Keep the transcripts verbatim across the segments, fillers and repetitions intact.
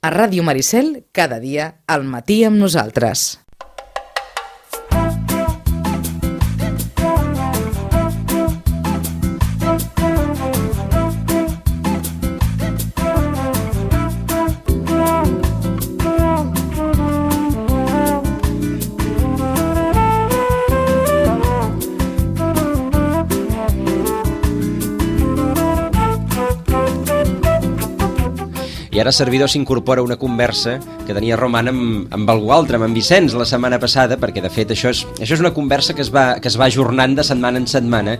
A Ràdio Maricel, cada dia, al matí amb nosaltres. I ara servidor s'incorpora una conversa que tenia Roman amb, amb algú altre, amb en Vicenç, la setmana passada, perquè de fet això és, això és una conversa que es va, que es va ajornant de setmana en setmana.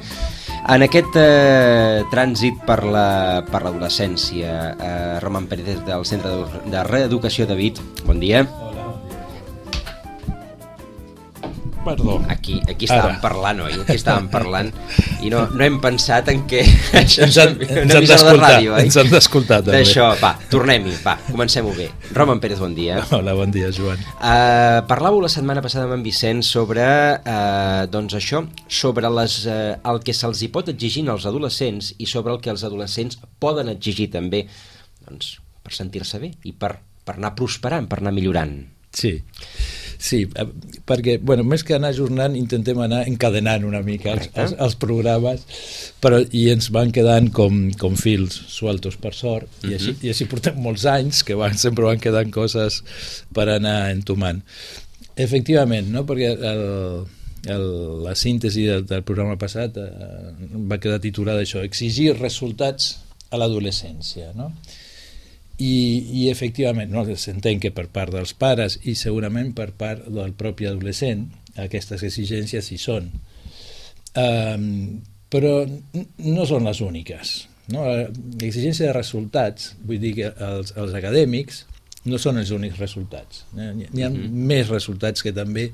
En aquest eh, trànsit per la, per l'adolescència, eh, Roman Pérez del Centre de, de Reeducació de Vic, bon dia. Perdó. Aquí, aquí estàvem Ara. parlant, oi? Aquí estàvem parlant i no, no hem pensat en què... Això ens han, ens han d'escoltar, ens han d'escoltar també. D'això, va, tornem-hi, va, comencem-ho bé. Roman Pérez, bon dia. Hola, bon dia, Joan. Uh, parlàveu la setmana passada amb en Vicenç sobre, uh, doncs això, sobre les, uh, el que se'ls hi pot exigir als adolescents i sobre el que els adolescents poden exigir també, doncs, per sentir-se bé i per, per anar prosperant, per anar millorant. Sí, sí, perquè, bueno, més que anar ajornant, intentem anar encadenant una mica els, els, els programes, però, i ens van quedant com, com fils sueltos, per sort, uh-huh. i, així, i així portem molts anys que van, sempre van quedant coses per anar entomant. Efectivament, no? Perquè el, el, la síntesi del, del programa passat eh, va quedar titulada això, exigir resultats a l'adolescència, no? I, i efectivament no, s'entén que per part dels pares i segurament per part del propi adolescent aquestes exigències hi són, um, però no són les úniques, no? L'exigència de resultats, vull dir que els, els acadèmics no són els únics resultats, n'hi ha mm-hmm. més resultats que també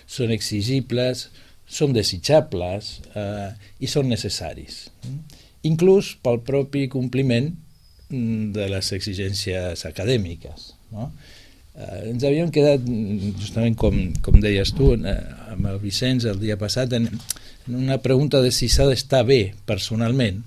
són exigibles, són desitjables uh, i són necessaris, inclús pel propi compliment de les exigències acadèmiques, no? Eh, ens havíem quedat, justament com, com deies tu, eh, amb el Vicenç el dia passat, en, en una pregunta de si s'ha d'estar bé personalment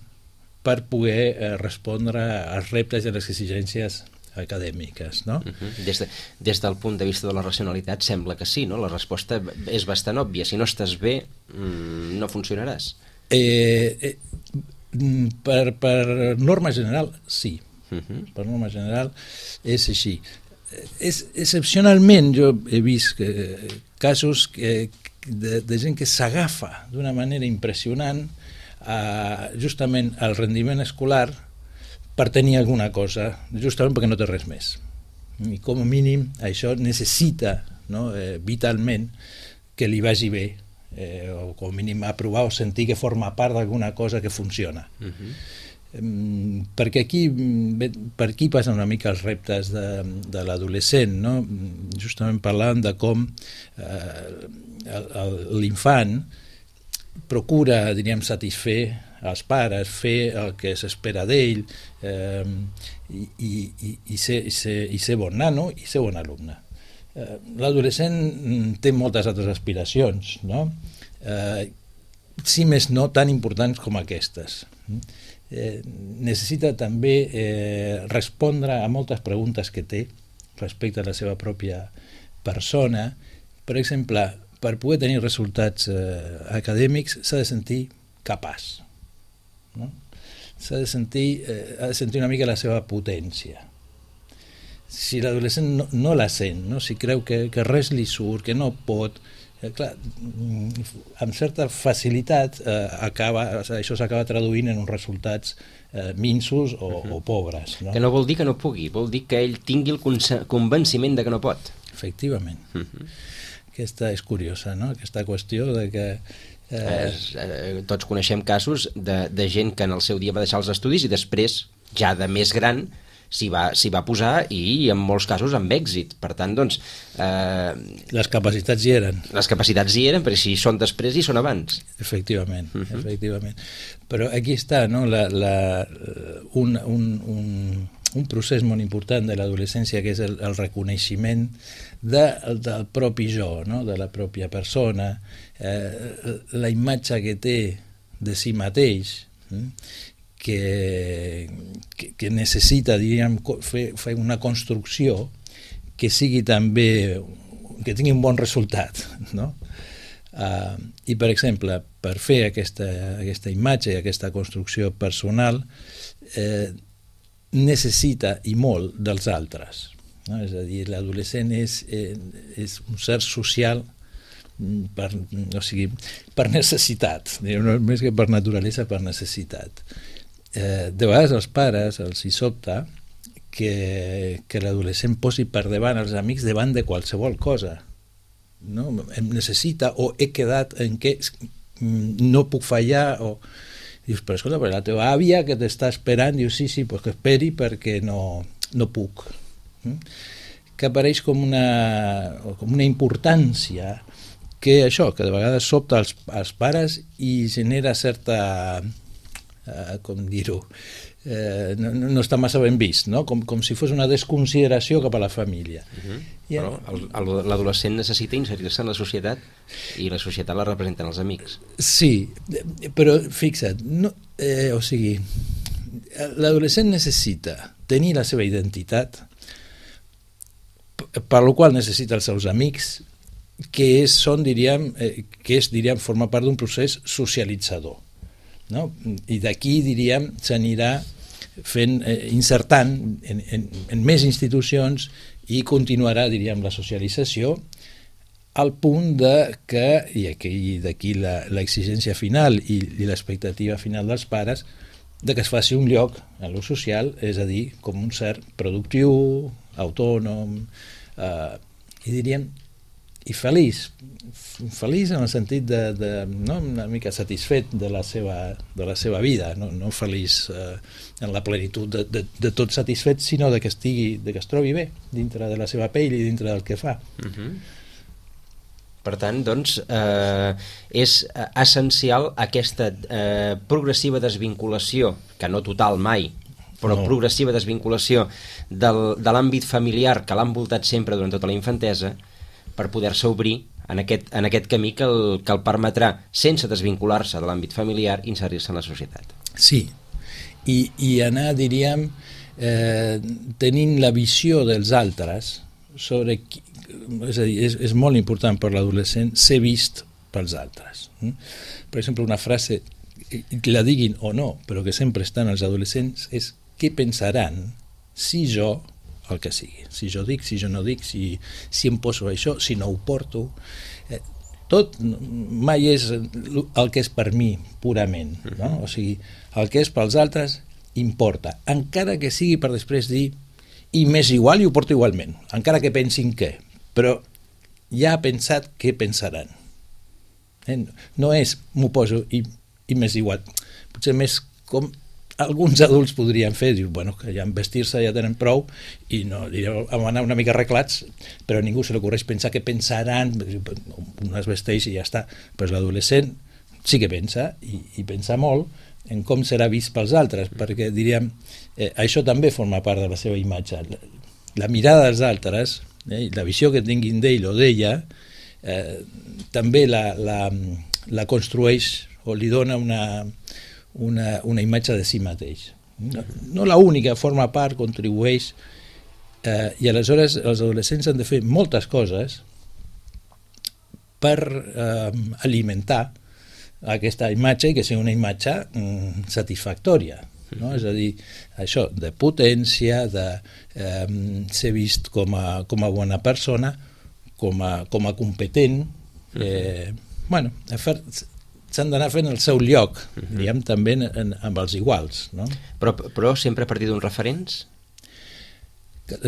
per poder eh, respondre als reptes i a les exigències acadèmiques, no? Uh-huh. Des, de, des del punt de vista de la racionalitat sembla que sí, no? La resposta és bastant òbvia. Si no estàs bé, mmm, no funcionaràs. Eh... eh Per, per norma general, sí. Uh-huh. Per norma general és així. És, excepcionalment jo he vist que, casos que, de, de gent que s'agafa d'una manera impressionant a, justament al rendiment escolar per tenir alguna cosa, justament perquè no té res més. I com a mínim això necessita, no, eh, vitalment que li vagi bé, Eh, o com a mínim aprovar o sentir que forma part d'alguna cosa que funciona. Uh-huh. um, perquè aquí per aquí passen una mica els reptes de, de l'adolescent, no? Justament parlant de com eh, l'infant procura, diríem, satisfer als pares, fer el que s'espera d'ell, eh, i, i, i, ser, i, ser, i ser bon nano i ser bon alumne. L'adolescent té moltes altres aspiracions, no? Eh, si més no tan importants com aquestes. Eh, necessita també eh, respondre a moltes preguntes que té respecte a la seva pròpia persona. Per exemple, per poder tenir resultats eh, acadèmics s'ha de sentir capaç, no? S'ha de sentir, eh, ha de sentir una mica la seva potència. Si l'adolescent no, no la sent, no? Si creu que, que res li surt, que no pot, eh, clar, amb certa facilitat eh, acaba, això s'acaba traduint en uns resultats eh, minsos o, uh-huh. o pobres, no? Que no vol dir que no pugui, vol dir que ell tingui el convenciment de que no pot. Efectivament. Uh-huh. Aquesta és curiosa, no? Aquesta qüestió de que Eh... Es, eh, tots coneixem casos de, de gent que en el seu dia va deixar els estudis i després, ja de més gran, s'hi va, s'hi va posar i en molts casos amb èxit. Per tant, doncs... Eh, les capacitats hi eren. Les capacitats hi eren, però si són després i són abans. Efectivament, uh-huh. efectivament. Però aquí està, no? la, la, un, un, un, un procés molt important de l'adolescència, que és el, el reconeixement de, del propi jo, no? De la pròpia persona, eh, la imatge que té de si mateix, eh? que, que, que necessita, diríem, fer, fer una construcció que sigui també, que tingui un bon resultat, no? Uh, I, per exemple, per fer aquesta, aquesta imatge i aquesta construcció personal eh, necessita i molt dels altres, no? És a dir, l'adolescent és, eh, és un ser social per, o sigui, per necessitat, no, més que per naturalesa, per necessitat. Eh, de vegades els pares els hi sobta que, que l'adolescent posi per davant els amics davant de qualsevol cosa, no? Em necessita o he quedat en què no puc fallar, o dius, però escolta, però la teva àvia que t'està esperant, dius, sí, sí, pues que esperi perquè no, no puc, que apareix com una, com una importància que això, que de vegades sobta als, als pares i genera certa, eh, com dir-ho, eh, no, no està massa ben vist, no? Com, com si fos una desconsideració cap a la família. Uh-huh. I, però el, el, l'adolescent necessita inserir-se en la societat i la societat la representen els amics. Sí, però fixa't, no, eh, o sigui, l'adolescent necessita tenir la seva identitat, per la qual necessita els seus amics, que és, són, diríem, eh, que és, diríem, forma part d'un procés socialitzador, no? I d'aquí, diríem, s'anirà fent, eh, insertant en, en, en més institucions i continuarà, diríem, la socialització al punt de que, i aquí, d'aquí l'exigència final i, i l'expectativa final dels pares, de que es faci un lloc en lo social, és a dir, com un ser productiu, autònom, eh, i diríem, i feliç, feliç en el sentit de, de no, una mica satisfet de la seva, de la seva vida, no, no feliç eh, en la plenitud de, de, de tot satisfet, sinó de que estigui, de que es trobi bé dintre de la seva pell i dintre del que fa. Uh-huh. Per tant, doncs, eh, és essencial aquesta eh, progressiva desvinculació, que no total mai, però no. progressiva desvinculació del, de l'àmbit familiar que l'ha envoltat sempre durant tota la infantesa, per poder-se obrir en aquest, en aquest camí que el, que el permetrà, sense desvincular-se de l'àmbit familiar, inserir-se en la societat. Sí, i, i anar, diríem, eh, tenint la visió dels altres sobre qui, és a dir, és, és molt important per l'adolescent ser vist pels altres. Per exemple, una frase, que la diguin o no, però que sempre estan els adolescents, és què pensaran si jo, el que sigui, si jo dic, si jo no dic, si, si em poso això, si no ho porto, eh, tot mai és el que és per mi purament, no? O sigui, el que és pels altres importa, encara que sigui per després dir i m'és igual i ho porto igualment, encara que pensin què, però ja ha pensat què pensaran, eh? No és m'ho poso i, i m'és igual, potser més com alguns adults podrien fer, diu, bueno, que ja en vestir-se ja tenen prou i no, vam anar una mica arreglats, però a ningú se li ocorreix pensar què pensaran, un es vesteix i ja està. Però l'adolescent sí que pensa, i, i pensa molt en com serà vist pels altres, perquè diríem, eh, això també forma part de la seva imatge. La, la mirada dels altres, eh, la visió que tinguin d'ell o d'ella, eh, també la, la, la construeix o li dona una Una, una imatge de si mateix. No, no la única, forma part, contribueix, eh, i aleshores els adolescents han de fer moltes coses per eh, alimentar aquesta imatge i que sigui una imatge mm, satisfactòria. No? És a dir, això de potència, de eh, ser vist com a, com a bona persona, com a, com a competent, eh, bueno, a fer... s'han d'anar fent el seu lloc, uh-huh. diguem, també en, en, amb els iguals. No? Però, però sempre a partir d'uns referents?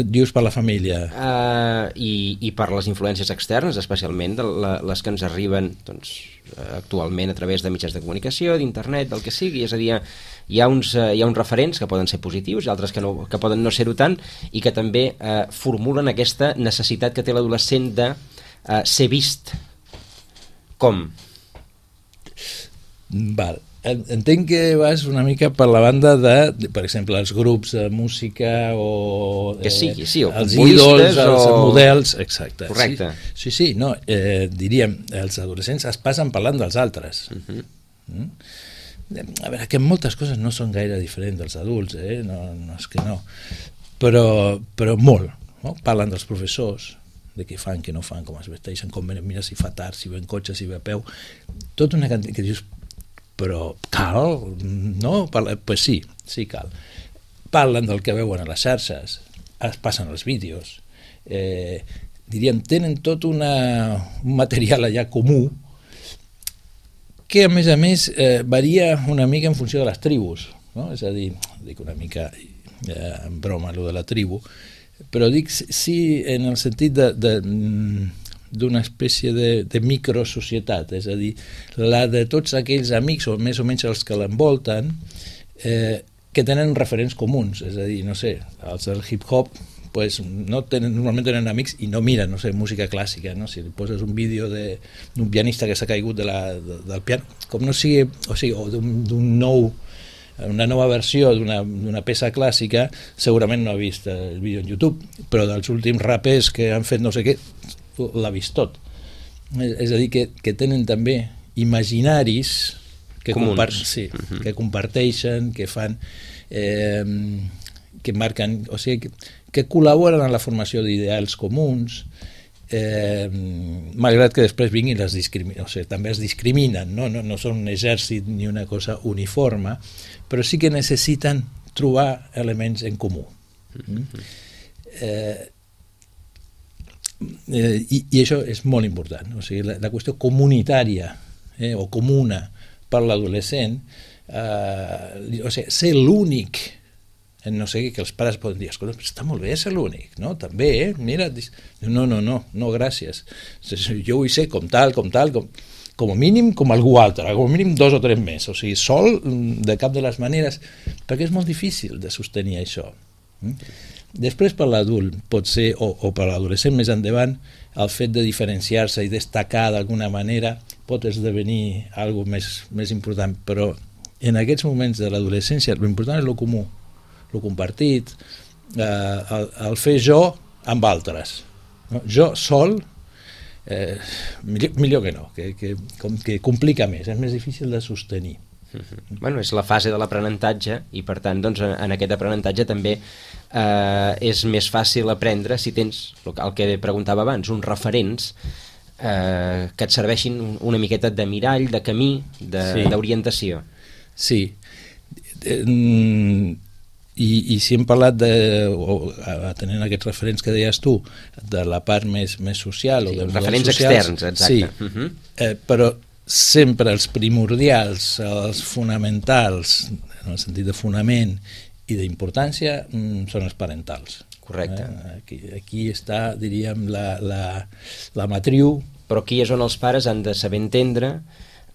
Dius per la família? Uh, i, I per les influències externes, especialment de la, les que ens arriben doncs, actualment a través de mitjans de comunicació, d'internet, del que sigui. És a dir, hi ha uns, uh, hi ha uns referents que poden ser positius i altres que, no, que poden no ser-ho tant i que també uh, formulen aquesta necessitat que té l'adolescent de uh, ser vist. Com? Val. Entenc que vas una mica per la banda de, per exemple, els grups de música o que sigui, sí, o els ídols, o... els models, exacte. Correcte. Sí, sí, sí, no, eh, diríem, els adolescents es passen parlant dels altres. Uh-huh. Mm? a veure, que moltes coses no són gaire diferents dels adults, eh? no, no és que no, però, però molt, no? Parlen dels professors, de què fan, què no fan, com es vesteixen, com venen, mira si fa tard, si ve en cotxe, si ve a peu, tota una quantitat que dius, però cal, no? Parla, pues sí, sí cal. Parlen del que veuen a les xarxes, es passen els vídeos, eh, diríem, tenen tot una, un material allà comú que a més a més eh, varia una mica en funció de les tribus, no? És a dir, dic una mica eh, en broma allò de la tribu, però dic sí en el sentit de, de, d'una espècie de, de microsocietat, és a dir, la de tots aquells amics o més o menys els que l'envolten eh, que tenen referents comuns, és a dir, no sé, els del hip-hop pues no tenen, normalment tenen amics i no miren, no sé, música clàssica, no? Si li poses un vídeo d'un pianista que s'ha caigut de la, de, del piano, com no sigui, o sigui, o d'un nou una nova versió d'una peça clàssica, segurament no ha vist el vídeo en YouTube, però dels últims rapers que han fet no sé què, l'ha vist tot. És a dir, que, que tenen també imaginaris que, compart sí, uh-huh. que comparteixen, que fan, eh, que marquen, o sigui, que, que col·laboren en la formació d'ideals comuns, Eh, malgrat que després vinguin les discriminen, o sigui, també es discriminen, no? No, no són un exèrcit ni una cosa uniforme, però sí que necessiten trobar elements en comú. Mm? Eh, eh, i, i això és molt important, o sigui, la, la qüestió comunitària eh, o comuna per l'adolescent, eh, o sigui, ser l'únic no sé, que els pares poden dir, escolta, està molt bé ser l'únic, no? També, eh? Mira, no, no, no, no, gràcies. Jo vull ser com tal, com tal, com, com a mínim com algú altre, com a mínim dos o tres més, o sigui, sol, de cap de les maneres, perquè és molt difícil de sostenir això. Després per l'adult pot ser, o, o per l'adolescent més endavant, el fet de diferenciar-se i destacar d'alguna manera pot esdevenir alguna més, més important, però en aquests moments de l'adolescència l'important és el comú, el compartit, eh, el, el fer jo amb altres. No? Jo sol, eh, millor, millor que no, que, que, com, que complica més, és més difícil de sostenir. Uh-huh. Bueno, és la fase de l'aprenentatge i per tant doncs, en aquest aprenentatge també eh, és més fàcil aprendre si tens, el que preguntava abans, uns referents eh, que et serveixin una miqueta de mirall, de camí, d'orientació. Sí, sí. I, i si hem parlat de, o, atenent aquests referents que deies tu, de la part més, més social, sí, o de referents socials, externs, exacte. Sí, uh-huh. eh, però sempre els primordials, els fonamentals, en el sentit de fonament i d'importància, mm, són els parentals. Correcte. Eh? Aquí, aquí està, diríem, la, la, la matriu. Però aquí és on els pares han de saber entendre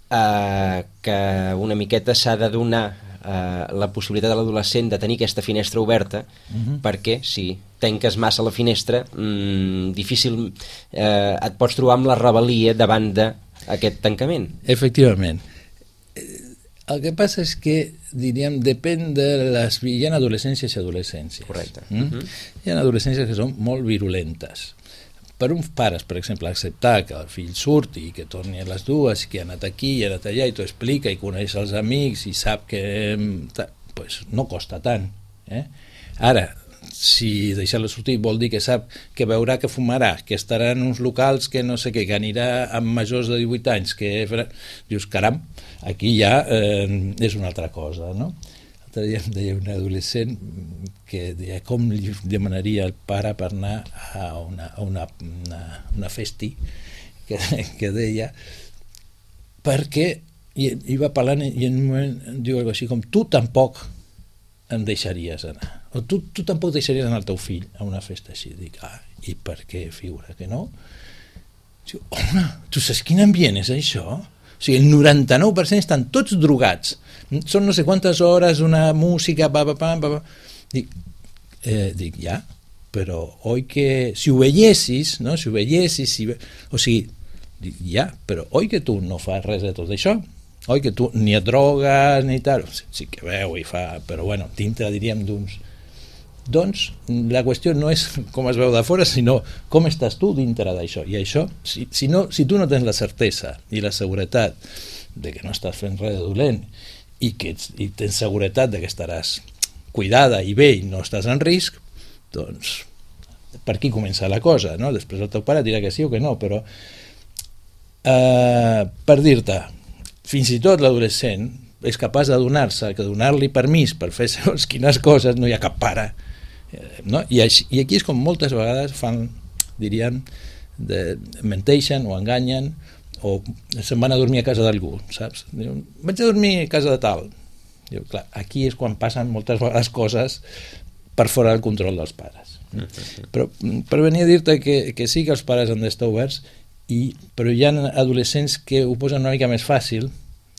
eh, que una miqueta s'ha de donar Uh, la possibilitat de l'adolescent de tenir aquesta finestra oberta, uh-huh. perquè si tanques massa la finestra mm, difícil eh, et pots trobar amb la rebel·lia davant d'aquest tancament. Efectivament. El que passa és que, diríem, depèn de les... Hi ha adolescències i adolescències. Correcte. Mm? Uh-huh. Hi ha adolescències que són molt virulentes. Per uns pares, per exemple, acceptar que el fill surti i que torni a les dues, que ha anat aquí i ha anat allà i t'ho explica i coneix els amics i sap que pues, no costa tant. Eh? Ara, si deixar-lo sortir vol dir que sap que veurà que fumarà, que estarà en uns locals que no sé què, que anirà amb majors de divuit anys, que dius, caram, aquí ja eh, és una altra cosa, no? L'altre dia em deia un adolescent que deia com li demanaria el pare per anar a una, a una, una, una festi que, que deia perquè i, i va parlant i en un moment diu alguna cosa així com tu tampoc em deixaries anar o tu, tu tampoc deixaries anar el teu fill a una festa així. Dic, ah, i per què figura que no? Diu, home, tu saps quin ambient és això? O sigui, el noranta-nou per cent estan tots drogats, són no sé quantes hores una música, pa, pa, pa, pa, pa. Dic, eh, dic, ja, però oi que si ho veiessis, no? Si ho veiessis, si... o sigui, dic, ja, però oi que tu no fas res de tot això? Oi que tu ni et drogues ni tal? Sí que veu i fa, però bueno, dintre diríem d'uns... Doncs la qüestió no és com es veu de fora, sinó com estàs tu dintre d'això. I això, si, si, no, si tu no tens la certesa i la seguretat de que no estàs fent res de dolent i que ets, i tens seguretat de que estaràs cuidada i bé i no estàs en risc, doncs per aquí comença la cosa, no? Després el teu pare dirà que sí o que no, però eh, per dir-te, fins i tot l'adolescent és capaç de donar-se, que donar-li permís per fer segons quines coses no hi ha cap pare, no? I, així, i aquí és com moltes vegades fan, diríem, de, menteixen o enganyen o se'n van a dormir a casa d'algú, saps? Diuen, vaig a dormir a casa de tal. Diu, clar, aquí és quan passen moltes vegades coses per fora del control dels pares. Però per venir a dir-te que, que sí que els pares han d'estar oberts, i, però hi ha adolescents que ho posen una mica més fàcil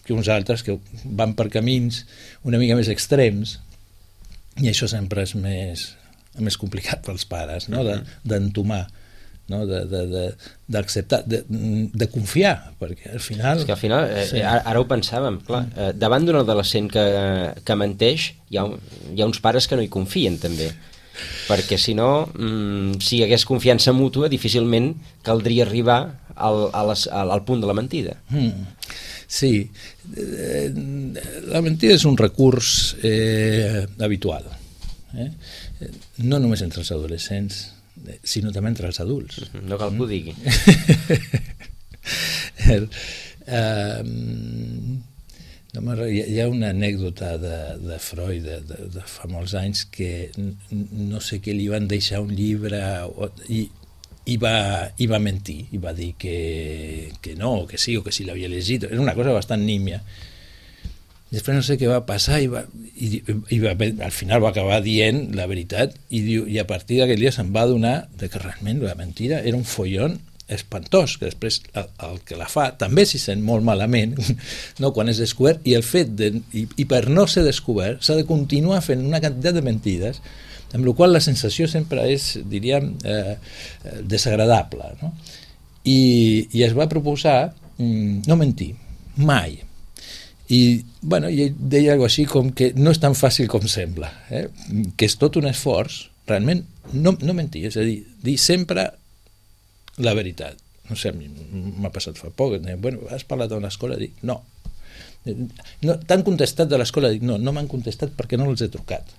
que uns altres que van per camins una mica més extrems, i això sempre és més, més complicat pels pares, no? De, d'entomar, no? de, de, de, d'acceptar, de, de confiar, perquè al final... És que al final, eh, sí. ara, ara ho pensàvem, clar, eh, davant d'un adolescent que, que menteix, hi ha, hi ha uns pares que no hi confien també, perquè si no, mm, si hi hagués confiança mútua, difícilment caldria arribar al, a les, al, al punt de la mentida. Mm. Sí, eh, la mentida és un recurs eh, habitual, eh? No només entre els adolescents, sinó també entre els adults. No cal que ho digui. el, uh, no, hi ha una anècdota de, de Freud de, de, de fa molts anys que no sé què li van deixar un llibre i, i, va, i va mentir, i va dir que, que no, que sí, o que sí l'havia llegit. Era una cosa bastant nímia. Després no sé què va passar i, va, i, i va, al final va acabar dient la veritat i, diu, i a partir d'aquell dia se'n va adonar de que realment la mentira era un follon espantós, que després el, el que la fa també s'hi sent molt malament, no, quan és descobert, i el fet de, i, i per no ser descobert s'ha de continuar fent una quantitat de mentides, amb la qual la sensació sempre és, diríem, eh, desagradable, no? I, i es va proposar mm, no mentir, mai. I, bueno, i ell deia alguna cosa així com que no és tan fàcil com sembla, eh? Que és tot un esforç, realment, no, no mentir, és a dir, dir sempre la veritat. No sé, a mi m'ha passat fa poc, deia, bueno, has parlat a l'escola? Dic, no. no. T'han contestat de l'escola? Dic, no, no m'han contestat perquè no els he trucat.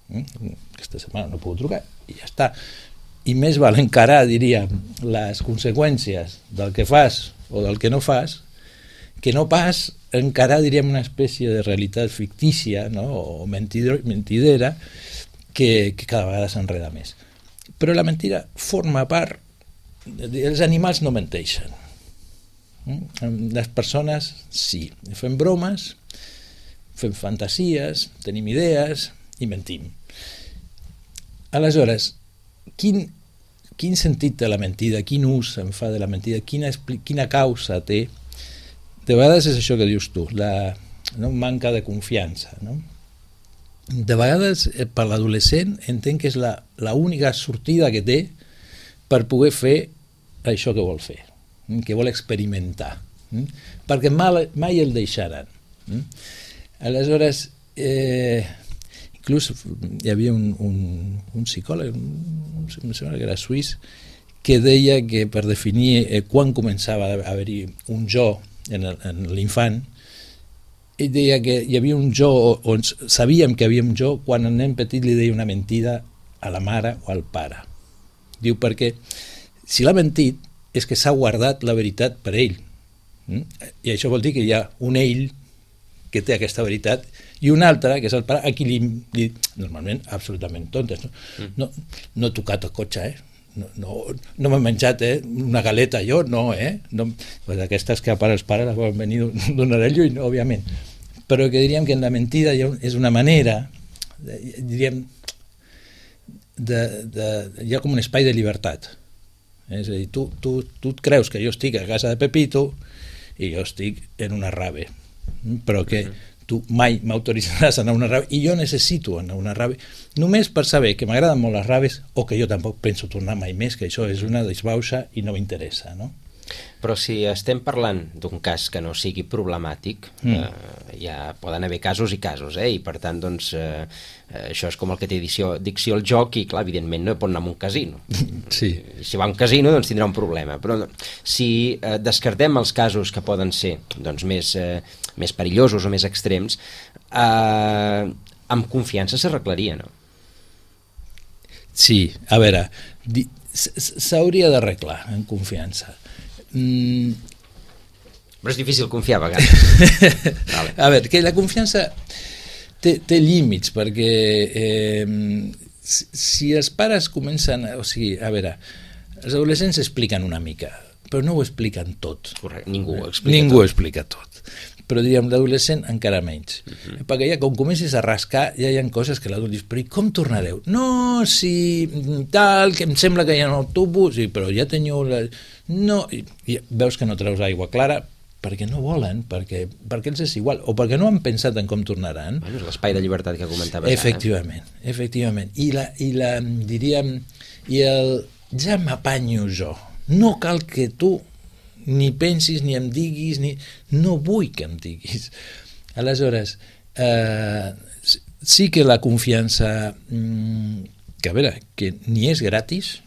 Aquesta setmana no puc trucar, i ja està. I més val encarar, diríem, les conseqüències del que fas o del que no fas, que no pas encarar, diríem, una espècie de realitat fictícia, no? O mentidera que, que cada vegada s'enreda més. Però la mentida forma part, els animals no menteixen, les persones sí, fem bromes, fem fantasies, tenim idees i mentim. Aleshores, quin, quin sentit té la mentida, quin ús se'n fa de la mentida, quina, quina causa té? De vegades és això que dius tu, la no, manca de confiança, no? De vegades per l'adolescent entenc que és la, la única sortida que té per poder fer això que vol fer, que vol experimentar, perquè mai, mai el deixaran. Aleshores, eh, inclús hi havia un, un, un psicòleg, un, em sembla que era suís, que deia que per definir eh, quan començava a haver-hi un jo en, el, en l'infant, ell deia que hi havia un jo, on sabíem que hi havia un jo quan el nen petit li deia una mentida a la mare o al pare. Diu, perquè si l'ha mentit és que s'ha guardat la veritat per ell. I això vol dir que hi ha un ell que té aquesta veritat i un altre, que és el pare, a qui li, li normalment absolutament tontes. No, no, no he tocat el cotxe, eh? No, no, no m'he menjat eh? una galeta jo, no, eh? No, pues aquestes que a part els pares les volen venir d'un orello i no, òbviament. Però que diríem que en la mentida hi ha, és una manera, de, diríem, de, de, hi ha com un espai de llibertat. És a dir, tu, tu, tu et creus que jo estic a casa de Pepito i jo estic en una rave, però que tu mai m'autoritzaràs a anar a una rave i jo necessito anar a una rave només per saber que m'agraden molt les raves o que jo tampoc penso tornar mai més, que això és una disbauxa i no m'interessa, no? Però si estem parlant d'un cas que no sigui problemàtic, mm. eh, ja poden haver casos i casos, eh? I per tant, doncs, eh, això és com el que té dicció, dicció al joc i, clar, evidentment no pot anar a un casino. Sí. Si va a un casino, doncs tindrà un problema. Però si eh, descartem els casos que poden ser doncs, més, eh, més perillosos o més extrems, eh, amb confiança s'arreglaria, no? Sí, a veure, s'hauria d'arreglar en confiança. Mm. Però és difícil confiar a vegades. Vale. A veure, que la confiança té, té límits, perquè eh, si, si els pares comencen... O sigui, a veure, els adolescents expliquen una mica, però no ho expliquen tot. Correcte, ningú ho explica ningú tot. ho explica tot. Però diríem, l'adolescent encara menys. Uh-huh. Perquè ja com comencis a rascar, ja hi ha coses que l'adult dius, però i com tornareu? No, si tal, que em sembla que hi ha un autobús, sí, però ja teniu... La... No, i, i veus que no treus aigua clara perquè no volen, perquè, perquè els és igual, o perquè no han pensat en com tornaran. Bueno, és l'espai de llibertat que comentaves. Efectivament, ara. efectivament. I la, i la, diríem, i el ja m'apanyo jo. No cal que tu ni pensis, ni em diguis, ni... no vull que em diguis. Aleshores, eh, sí que la confiança, que a veure, que ni és gratis,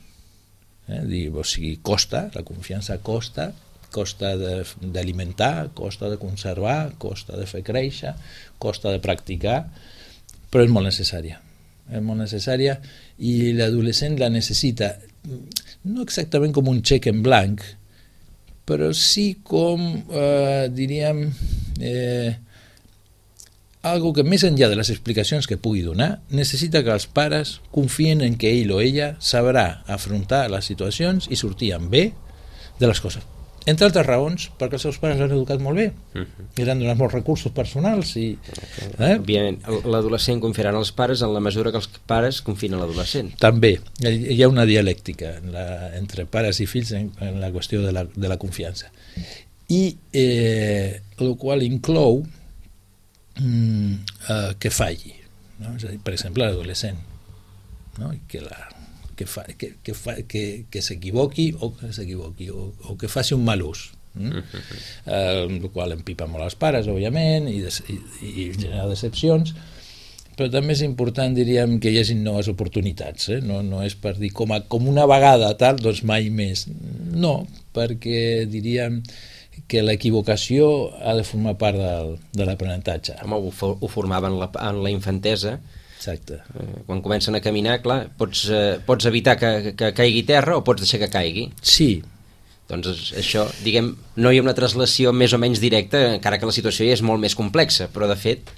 eh, dir, o sigui, costa, la confiança costa, costa d'alimentar, costa de conservar, costa de fer créixer, costa de practicar, però és molt necessària. És molt necessària i l'adolescent la necessita, no exactament com un xec en blanc, però sí com, eh, diríem, eh, algo que més enllà de les explicacions que pugui donar, necessita que els pares confien en que ell o ella sabrà afrontar les situacions i sortir amb bé de les coses. Entre altres raons, perquè els seus pares l'han educat molt bé, uh-huh. i l'han donat molts recursos personals. I, eh? Òbviament, l'adolescent confiarà en els pares en la mesura que els pares confien en l'adolescent. També, hi ha una dialèctica en la, entre pares i fills en, en la qüestió de la, de la confiança. I eh, el qual inclou mm, eh, que falli, no? És a dir, per exemple, l'adolescent, no? que la que, fa, que, que, fa, que, que s'equivoqui o que s'equivoqui o, o que faci un mal ús, mm? uh-huh. eh, el qual empipa molt als pares, òbviament, i, des, i, i genera decepcions, però també és important, diríem, que hi hagi noves oportunitats, eh? no, no és per dir com, a, com una vegada tal, doncs mai més, no, perquè diríem que l'equivocació ha de formar part del, de l'aprenentatge. Home, ho, ho formava en la, en la infantesa. Exacte. Quan comencen a caminar, clar, pots, eh, pots evitar que, que caigui terra o pots deixar que caigui. Sí. Doncs això, diguem, no hi ha una translació més o menys directa, encara que la situació ja és molt més complexa, però de fet...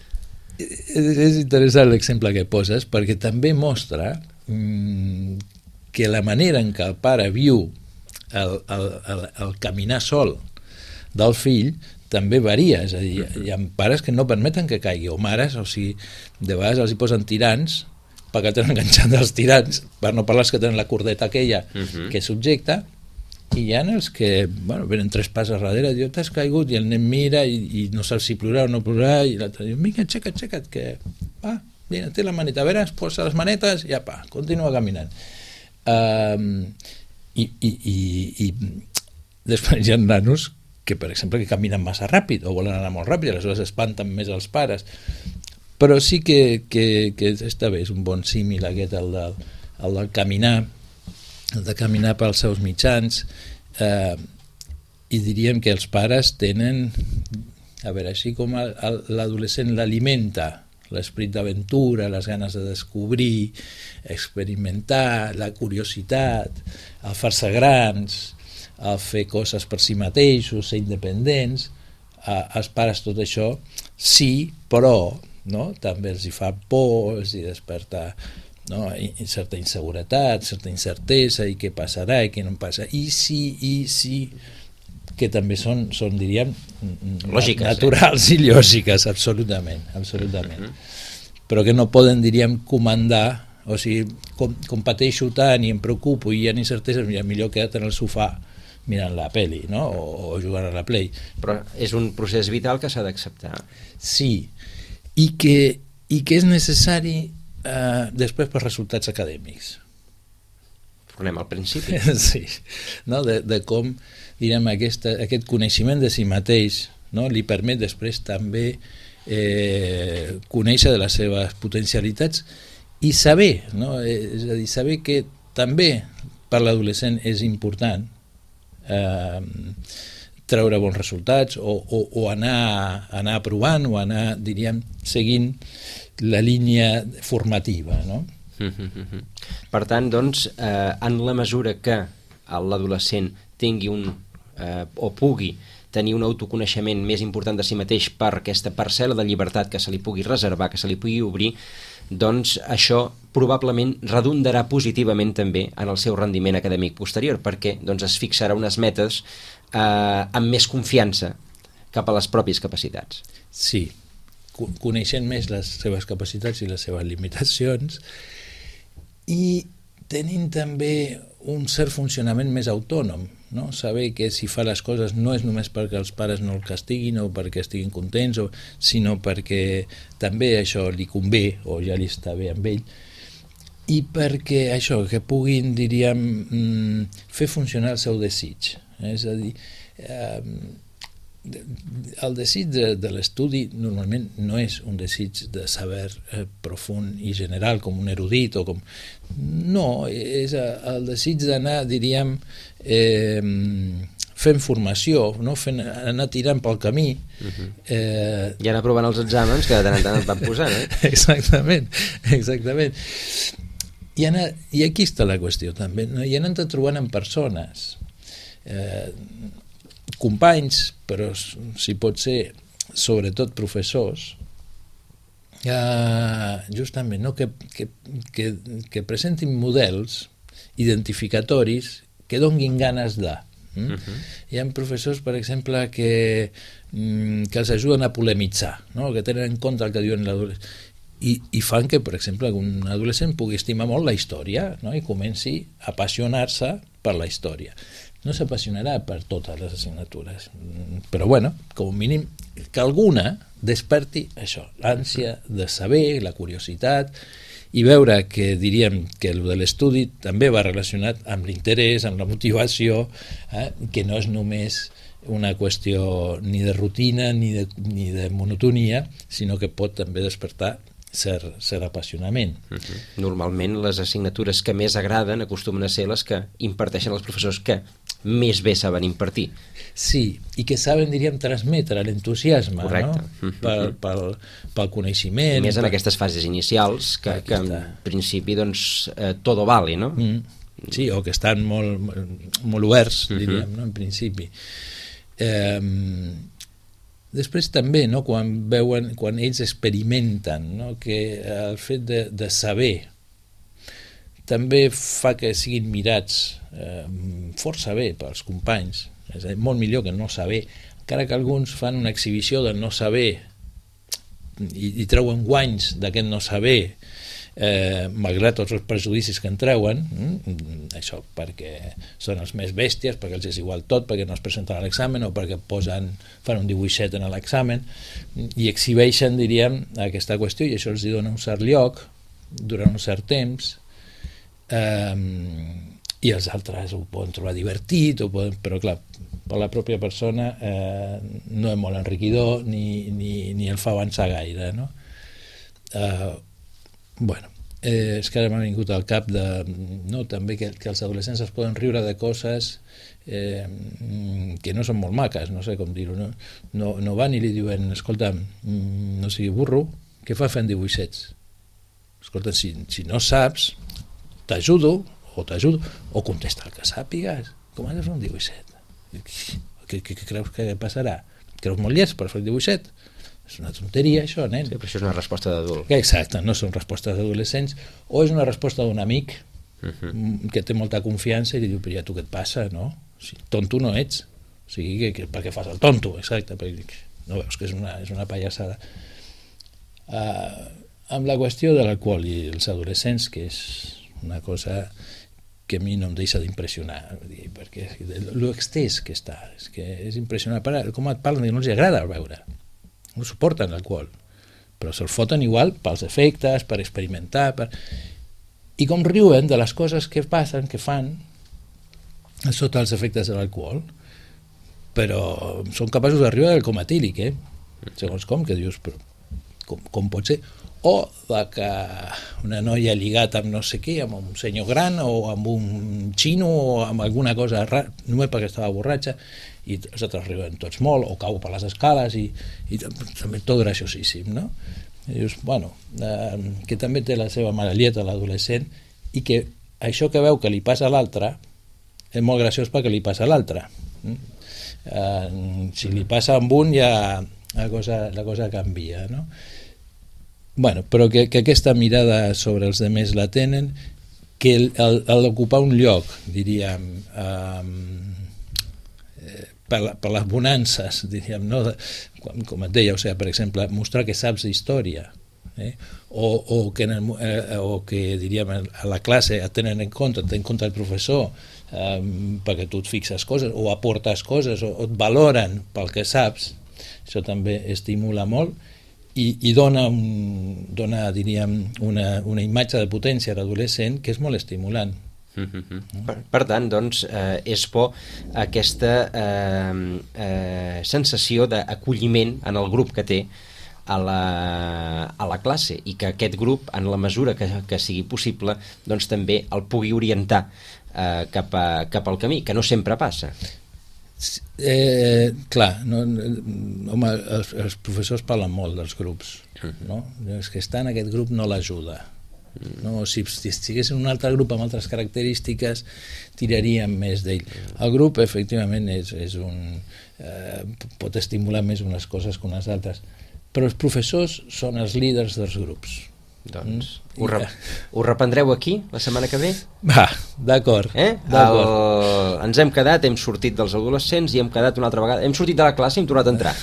És interessant l'exemple que poses, perquè també mostra mmm, que la manera en què el pare viu el, el, el, el caminar sol del fill també varia, és a dir, hi ha pares que no permeten que caigui, o mares, o sigui, de vegades els hi posen tirants perquè tenen enganxat els tirants, per no parlar que tenen la cordeta aquella uh-huh. que subjecta, i hi ha els que, bueno, venen tres passes darrere, diu, t'has caigut, i el nen mira i, i no sap si plorar o no plorar, i l'altre diu, vinga, aixeca't, aixeca't, que va, mira, té la maneta, a veure, es posa les manetes, i apa, continua caminant. Um, i, i, i, i després hi ha nanos que, per exemple, que caminen massa ràpid o volen anar molt ràpid, aleshores espanten més els pares. Però sí que, que, que està bé, és un bon símil aquest, el del, el del caminar, el de caminar pels seus mitjans, eh, i diríem que els pares tenen, a veure, així com el, el, l'adolescent l'alimenta, l'esperit d'aventura, les ganes de descobrir, experimentar, la curiositat, el fer-se grans, a fer coses per si mateixos, ser independents, a, als pares tot això, sí, però no? També els hi fa por, els hi desperta, no? I, i certa inseguretat, certa incertesa, i què passarà i què no passa, i sí, i sí, que també són, són diríem, lògiques, naturals eh? I lògiques, absolutament, absolutament. Mm-hmm. Però que no poden, diríem, comandar, o sigui, com, com pateixo tant i em preocupo i hi ha incerteses, millor queda't en el sofà mirant la peli, no? o, o jugant a la Play. Però és un procés vital que s'ha d'acceptar. Sí, i que, i que és necessari eh, després per resultats acadèmics. Tornem al principi. Sí, no? de, de com direm, aquesta, aquest coneixement de si mateix, no? Li permet després també eh, conèixer de les seves potencialitats i saber, no? És a dir, saber que també per l'adolescent és important eh, treure bons resultats o, o, o anar, anar provant o anar, diríem, seguint la línia formativa, no? Per tant, doncs, eh, en la mesura que l'adolescent tingui un, eh, o pugui tenir un autoconeixement més important de si mateix per aquesta parcel·la de llibertat que se li pugui reservar, que se li pugui obrir, doncs això probablement redundarà positivament també en el seu rendiment acadèmic posterior, perquè doncs, es fixarà unes metes eh, amb més confiança cap a les pròpies capacitats. Sí, coneixent més les seves capacitats i les seves limitacions i tenint també un cert funcionament més autònom, no? Saber que si fa les coses no és només perquè els pares no el castiguin o perquè estiguin contents, o, sinó perquè també això li convé o ja li està bé amb ell, i perquè això, que puguin, diríem, fer funcionar el seu desig. És a dir, eh, el desig de, de l'estudi normalment no és un desig de saber eh, profund i general com un erudit o com... no, és el desig d'anar, diríem, eh, fent formació, no? Fent, anar tirant pel camí. Uh-huh. eh... I anar provant els exàmens que de tant en tant et van posant, eh? Exactament, exactament. I, anar, I aquí està la qüestió també, no? I anar-te trobant en persones, eh, companys, però si pot ser sobretot professors, eh, justament, no? que, que, que, que presentin models identificatoris que donguin ganes de. Mm? Uh-huh. Hi ha professors, per exemple, que, que els ajuden a polemitzar, no? Que tenen en compte el que diuen l'adolescent, i, i fan que, per exemple, un adolescent pugui estimar molt la història, no? I comenci a apassionar-se per la història. No s'apassionarà per totes les assignatures, però bueno, com a mínim que alguna desperti això, l'ànsia de saber, la curiositat, i veure que diríem que el de l'estudi també va relacionat amb l'interès, amb la motivació, eh? Que no és només una qüestió ni de rutina ni de, ni de monotonia, sinó que pot també despertar cert, cert apassionament. Uh-huh. Normalment les assignatures que més agraden acostumen a ser les que imparteixen els professors que més bé saben impartir. Sí, i que saben, diríem, transmetre l'entusiasme, correcte, no? Pel, pel, pel coneixement. Més en per... aquestes fases inicials que, que en principi doncs eh, todo vale, no? Mm. Sí, o que estan molt, molt oberts, diríem, uh-huh. No? En principi. Eh, després també, no? Quan veuen, quan ells experimenten, no? Que el fet de, de saber també fa que siguin mirats eh, força bé pels companys, és a dir, molt millor que no saber, encara que alguns fan una exhibició del no saber i, i treuen guanys d'aquest no saber, eh, malgrat tots els prejudicis que en treuen, mm, això perquè són els més bèsties, perquè els és igual tot, perquè no es presenten a l'examen o perquè posen, fan un dibuixet en l'examen i exhibeixen, diríem, aquesta qüestió, i això els dona un cert lloc durant un cert temps. Um, i els altres ho poden trobar divertit, ho poden, però clar, per la pròpia persona eh, no és molt enriquidor ni, ni, ni el fa avançar gaire, no? Uh, bueno, eh, és que ara m'ha vingut al cap de, no, també que, que els adolescents es poden riure de coses eh, que no són molt maques, no sé com dir-ho, no? No, no van i li diuen, escolta, no sigui burro, què fa fent dibuixets? Escolta, si, si no saps, t'ajudo, o t'ajudo, o contesta el que sàpigues. Com has de fer un dibuixet? Què, què, què creus que passarà? Creus molt llest per fer un dibuixet? És una tonteria, això, nen. Sí, però això és una resposta d'adult. Exacte, no són respostes d'adolescents, o és una resposta d'un amic uh-huh. que té molta confiança i li diu, però ja tu què et passa, no? Si tonto no ets. O sigui, que, que, per què fas el tonto? Exacte, perquè no veus que és una, és una pallassada. Uh, amb la qüestió de l'alcohol i els adolescents, que és una cosa que a mi no em deixa d'impressionar, perquè l'extès que està, és que és impressionant. Com et parlen, no els agrada el beure, no suporten l'alcohol, però se'l foten igual pels efectes, per experimentar, per... i com riuen de les coses que passen, que fan, sota els efectes de l'alcohol, però són capaços d'arribar al coma etílic, eh? Segons com, que dius, però com, com pot ser? O de que una noia ha lligat amb no sé què, amb un senyor gran o amb un xino o amb alguna cosa rara, només perquè estava borratxa, i els altres riuen tots molt, o cau per les escales, i, i també tot graciosíssim, no? I dius, bueno, eh, que també té la seva maralleta l'adolescent, i que això que veu que li passa a l'altre és molt graciós perquè li passa a l'altre. Eh, si li passa amb un ja la cosa, la cosa canvia, no? Bueno, però que, que aquesta mirada sobre els demés la tenen, que el, el, el d'ocupar un lloc, diríem, eh, per, per les bonances, diríem, no? com, com et deia, o sigui, per exemple, mostrar que saps història, eh? o, o, que en el, eh, o que diríem a la classe et tenen en compte, et tenen en compte el professor, eh, perquè tu et fixes coses, o aportes coses, o, o et valoren pel que saps, això també estimula molt, i, i dona, un, dona diríem, una, una imatge de potència a l'adolescent que és molt estimulant. Mm-hmm. Per, per tant, doncs, eh, és por aquesta eh, eh, sensació d'acolliment en el grup que té a la, a la classe, i que aquest grup, en la mesura que, que sigui possible, doncs també el pugui orientar eh, cap, a, cap al camí, que no sempre passa. Eh, clar, no, home, els, els professors parlen molt dels grups, no? És que estar en aquest grup no l'ajuda, no? Si, si estigués en un altre grup amb altres característiques tiraríem més d'ell. El grup efectivament és, és un, eh, pot estimular més unes coses que unes altres, però els professors són els líders dels grups. Doncs mm. ho, rep ho reprendreu aquí la setmana que ve? Va, d'acord. Eh? El... Ens hem quedat, hem sortit dels adolescents i hem quedat una altra vegada, hem sortit de la classe i hem tornat a entrar.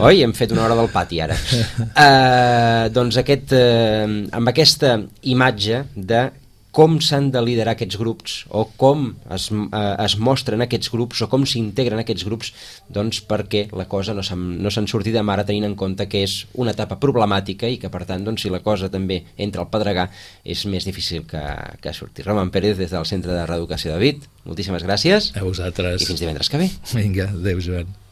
Oi? Hem fet una hora del pati ara. Uh, doncs aquest, uh, amb aquesta imatge de com s'han de liderar aquests grups, o com es, eh, es mostren aquests grups, o com s'integren aquests grups, doncs perquè la cosa no s'han no s'han sortit amb ara, tenint en compte que és una etapa problemàtica i que per tant, doncs, si la cosa també entra al pedregar, és més difícil que, que surti. Roman Pérez, des del Centre de Reeducació David, moltíssimes gràcies. A vosaltres. I fins divendres que ve. Vinga, adéu, Joan.